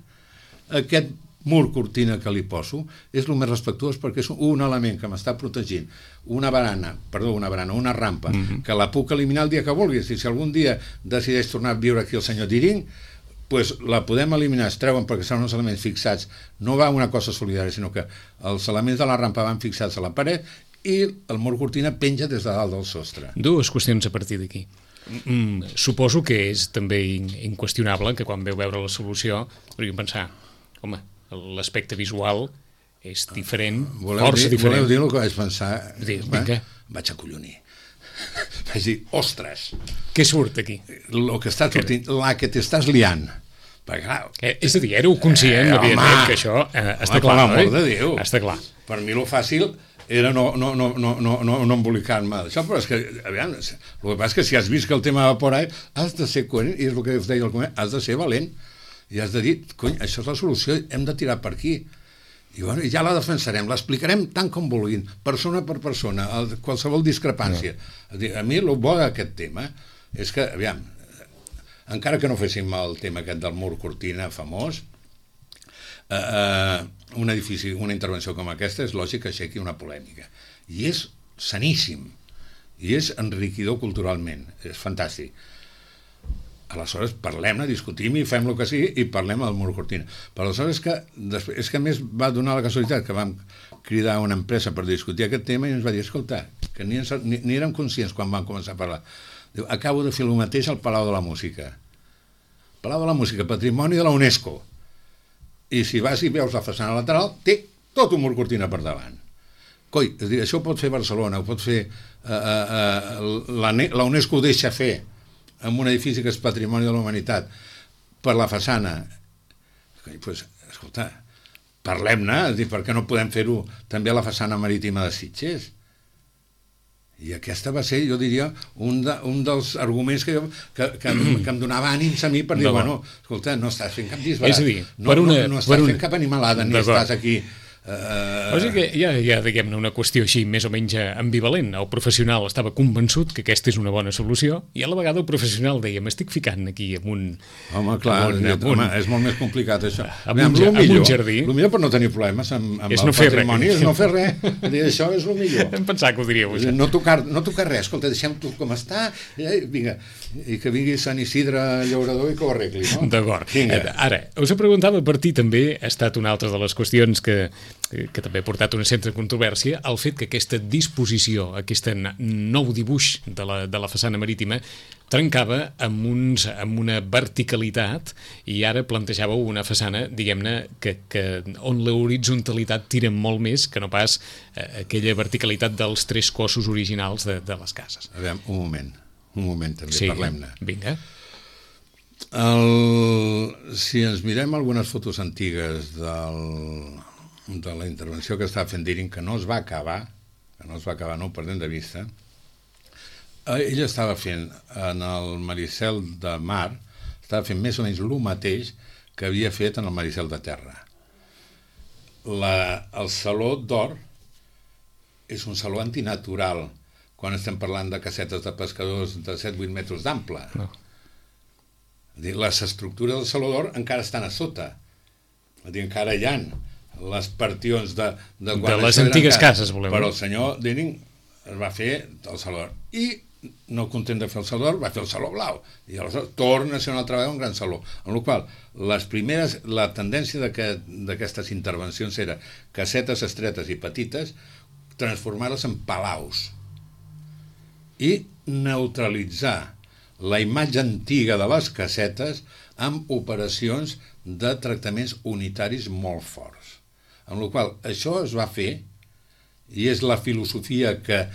aquest mur cortina que li poso és el més respectuós, perquè és un element que m'està protegint una rampa, que la puc eliminar el dia que vulguis, i si algun dia decideix tornar a viure aquí el senyor Diring, doncs la podem eliminar, es treuen perquè són uns elements fixats, no va una cosa solidària, sinó que els elements de la rampa van fixats a la paret i el mur cortina penja des de dalt del sostre. Dues qüestions a partir d'aquí. Suposo que és també inqüestionable que quan veu veure la solució podríem pensar, home, l'aspecte visual és diferent, força diferent. Voleu dir el que vaig pensar? Vaig acollonir. Vaig dir, ostres! Què surt aquí? El que estàs sortint, la que t'estàs liant. És a dir, éreu conscient, evidentment, que això està clar, per l'amor de Déu. Està clar. Per mi el fàcil era no embolicar-me d'això, però és que, aviam, el que passa és que si has vist que el tema va por ahí, has de ser coherent, i és el que us deia el comer, has de ser valent. I has de dir, cony, això és la solució, hem de tirar per aquí. I bueno, ja la defensarem, l'explicarem tant com vulguin, persona per persona, qualsevol discrepància. A mi el bo d'aquest tema és que, aviam, encara que no féssim el tema aquest del mur cortina famós, un edifici, una intervenció com aquesta, és lògic que aixequi una polèmica. I és saníssim, i és enriquidor culturalment, és fantàstic. Aleshores parlem-ne, discutim i fem el que sigui i parlem al mur cortina. Però aleshores és que a més va donar la casualitat que vam cridar una empresa per discutir aquest tema i ens va dir, escolta, que ni érem conscients quan vam començar a parlar. Diu, acabo de fer el mateix al Palau de la Música. Palau de la Música, patrimoni de la UNESCO. I si vas i veus la façana lateral, té tot un mur cortina per davant. Coi, és dir, això ho pot fer Barcelona, ho pot fer... la UNESCO ho deixa fer en un edifici que és patrimoni de la humanitat per la façana. Pues, escolta, parlem-ne, és dir, per què no podem fer-ho també a la façana marítima de Sitges? I aquesta va ser, jo diria, un dels arguments que em donava ànims a mi per dir, bueno, escolta, no estàs fent cap disbarat, és a dir, no estàs fent cap animalada, ni estàs aquí... O sigui que hi ha diguem-ne, una qüestió així més o menys ambivalent. El professional estava convençut que aquesta és una bona solució i a la vegada el professional deia, m'estic ficant aquí en un... Home, clar, és molt més complicat això. En un jardí. El millor per no tenir problemes amb el patrimoni és no fer res. Això és el millor. Em pensava que ho diríeu. No tocar res, escolta, deixem-ho com està, vinga, i que vingui Sant Isidre Llaurador i que ho arregli, no? D'acord. Ara, us preguntava per ti també, ha estat una altra de les qüestions que també ha portat una certa controvèrsia, el fet que aquesta disposició, aquest nou dibuix de la façana marítima trencava amb una verticalitat i ara plantejàveu una façana, diguem-ne, on l'horitzontalitat tira molt més que no pas aquella verticalitat dels tres cossos originals de les cases. A veure, un moment també, sí, parlem-ne. Vinga. Si ens mirem algunes fotos antigues de la intervenció que estava fent Deering, que no es va acabar, no ho perdem de vista, ella estava fent en el Maricel de Mar, estava fent més o menys el mateix que havia fet en el Maricel de Terra. El Saló d'Or és un saló antinatural quan estem parlant de casetes de pescadors de 7-8 metres d'ample. No. Les estructures del Saló d'Or encara estan a sota, encara hi ha les partions de les antigues cases, volem. Però el senyor Deering es va fer el Saló d'Or i no content de fer el Saló d'Or va fer el Saló Blau i aleshores torna a ser una altra vegada un gran saló, amb la qual la tendència d'aquestes intervencions era casetes estretes i petites, transformar-les en palaus i neutralitzar la imatge antiga de les casetes amb operacions de tractaments unitaris molt forts. Amb la qual això es va fer i és la filosofia que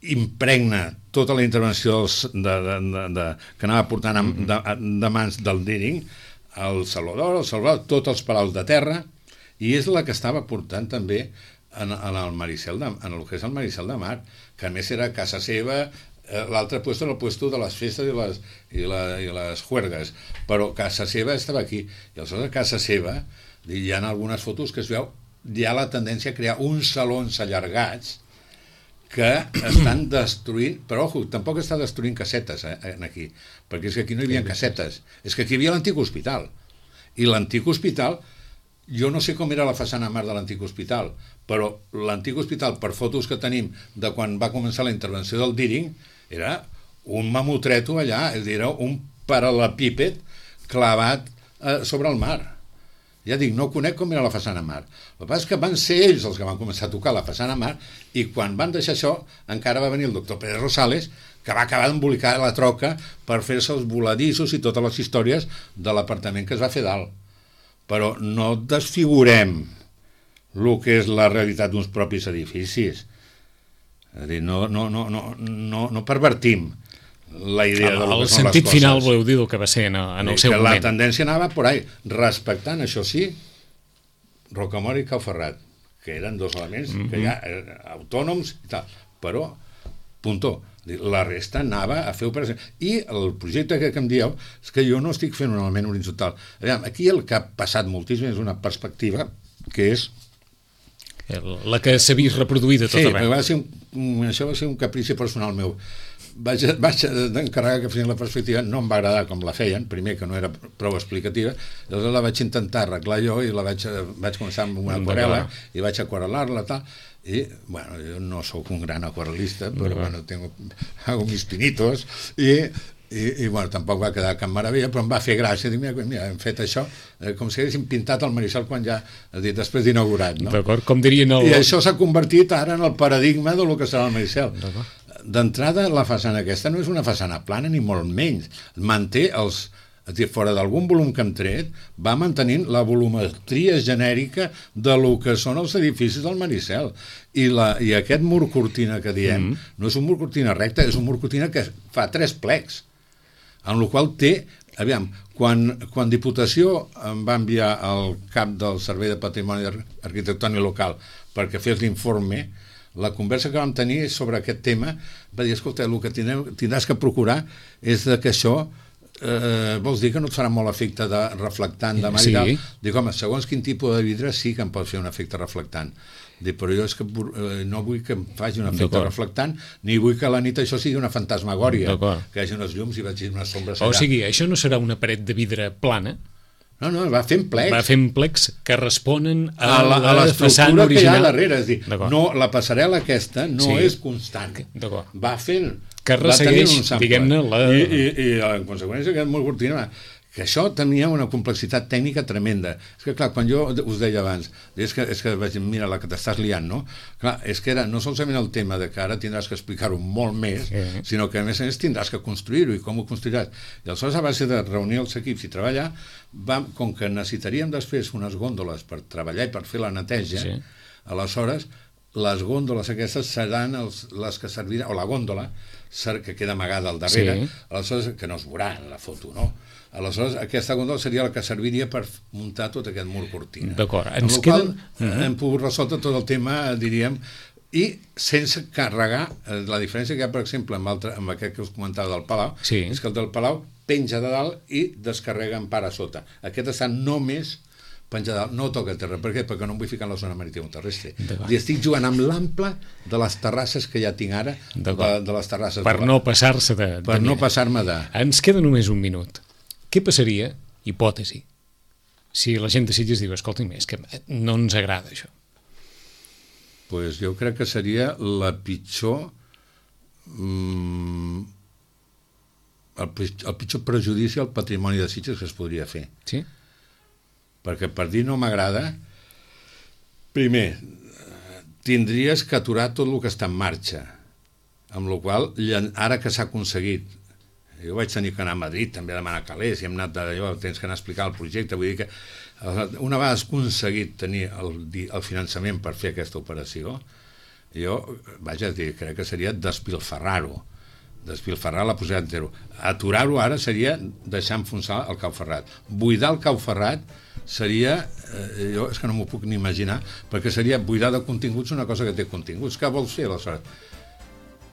impregna tota la intervenció que anava portant de mans del Deering, el Saló d'Or, tots els palaus de terra, i és la que estava portant també en el Maricel, en el que és el Maricel de Mar, que a més era casa seva. L'altre puesto era el puesto de les festes i les juergues, però casa seva estava aquí, i aleshores a casa seva hi ha algunes fotos que es veu hi ha la tendència a crear uns salons allargats que estan destruint, però ojo, tampoc està destruint casetes aquí, perquè és que aquí no hi havia casetes, és que aquí hi havia l'antic hospital, i l'antic hospital, jo no sé com era la façana a mar de l'antic hospital, però l'antic hospital, per fotos que tenim de quan va començar la intervenció del Deering, era un mamutreto allà, és a dir, era un paral·lepíped clavat sobre el mar. Ja dic, no conec com era la façana a mar. El que passa és que van ser ells els que van començar a tocar la façana a mar i quan van deixar això encara va venir el doctor Pérez Rosales que va acabar d'embolicar la troca per fer-se els voladissos i totes les històries de l'apartament que es va fer dalt. Però no desfigurem el que és la realitat d'uns propis edificis. És a dir, no pervertim la idea de lo que són les coses. El sentit final voleu dir el que va ser en el seu moment. La tendència anava por ahí, respectant, això sí, Rocamora i Cau Ferrat, que eren dos elements que ja autònoms i tal, però, puntó, la resta anava a fer operacions. I el projecte que em dieu és que jo no estic fent un element horitzontal. Aquí el que ha passat moltíssim és una perspectiva que és la que s'ha vist reproduïda tot arreu. Sí, això va ser un caprici personal meu. vaig encarregar que fessin la perspectiva, no em va agradar com la feien, primer que no era prou explicativa, llavors la vaig intentar arreglar jo i la vaig començar amb una aquarel·la i vaig aquarel·lar-la tal, i bueno, jo no sóc un gran aquarel·lista, però bueno, hago mis pinitos i bueno, tampoc va quedar cap meravella, però em va fer gràcia, dic, mira, hem fet això com si haguéssim pintat el Maricel quan ja, després d'inaugurat, no? D'acord, com dirien I això s'ha convertit ara en el paradigma del que serà el Maricel. D'entrada, la façana aquesta no és una façana plana ni molt menys, manté és a dir, fora d'algun volum que hem tret, va mantenint la volumetria genèrica de lo que són els edificis del Maricel. I aquest mur cortina que diem no és un mur cortina recte, és un mur cortina que fa 3 plecs, en el qual té, aviam, quan Diputació em va enviar al cap del Servei de Patrimoni Arquitectònic Local perquè fes l'informe, la conversa que vam tenir sobre aquest tema va dir, escolta, el que tindràs que procurar és que això vols dir que no et farà molt efecte de reflectant de mar i tal? Dic, home, segons quin tipus de vidre sí que em pot fer un efecte reflectant. Dic, però jo és que no vull que em faci un efecte reflectant, ni vull que a la nit això sigui una fantasmagòria, que hi hagi unes llums i vagi unes sombres allà. O sigui, això no serà una paret de vidre plana? No, va fent plecs. Va fent plecs que responen a la façana original. Que hi ha darrere, és dir, no, la passarel·la aquesta no és constant. Va fent... Que ressegueix, diguem-ne, I en conseqüència aquest mur cortina, que això tenia una complexitat tècnica tremenda. És que, clar, quan jo us deia abans, és que vaig, mira, la que t'estàs liant, no? Clar, és que era no solament el tema de que ara tindràs que explicar-ho molt més, sinó que a més tindràs que construir-ho i com ho construiràs. I aleshores, a base de reunir els equips i treballar, com que necessitaríem després unes gòndoles per treballar i per fer la neteja, aleshores les gòndoles aquestes seran les que serviran, o la gòndola que queda amagada al darrere, aleshores, que no es veurà en la foto, no? Aleshores, aquesta gòndola seria la que serviria per muntar tot aquest mur cortina. D'acord. Amb la qual hem pogut resoldre tot el tema, diríem, i sense carregar. La diferència que hi ha, per exemple, amb aquest que us comentava del Palau, és que el del Palau penja de dalt i descarrega en part a sota. Aquest està només penja de dalt, no toca el terra. Per què? Perquè no em vull ficar en la zona marítima terrestre. I estic jugant amb l'ample de les terrasses que ja tinc ara, de les terrasses. Per no passar-se de... Per no passar-me de... Ens queda només un minut. Què passaria, hipòtesi, si la gent de Sitges diu, escolta'm, és que no ens agrada això? Doncs jo crec que seria la pitjor... el pitjor prejudici al patrimoni de Sitges que es podria fer. Sí? Perquè per dir no m'agrada, primer, tindries que aturar tot el que està en marxa, amb la qual cosa, ara que s'ha aconseguit, jo vaig tenir que anar a Madrid també a demanar calés i hem anat d'allò, tens que anar a explicar el projecte, vull dir que una vegada has aconseguit tenir el finançament per fer aquesta operació, jo, vaja, crec que seria despilfarrar-ho, despilfarrar la possibilitat de zero. Aturar-ho ara seria deixar enfonsar el Cau Ferrat. Buidar el Cau Ferrat seria, jo és que no m'ho puc ni imaginar, perquè seria buidar de continguts una cosa que té continguts. Què vols fer, aleshores?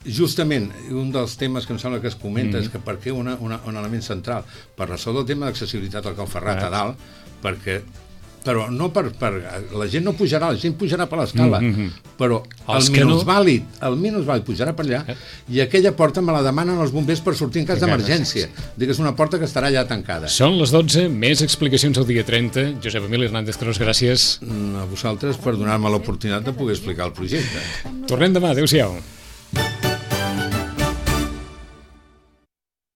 Justament, un dels temes que em sembla que es comenta és que per què un element central per resoldre el tema d'accessibilitat al Cau Ferrat a dalt, perquè però no per... La gent no pujarà, la gent pujarà per l'escala, però el minusvàlid pujarà per allà i aquella porta me la demanen els bombers per sortir en cas d'emergència. Dic, és una porta que estarà allà tancada. Són les 12, més explicacions el dia 30. Josep Emili Hernández Cros, gràcies. A vosaltres per donar-me l'oportunitat de poder explicar el projecte. Tornem demà, adéu-siau.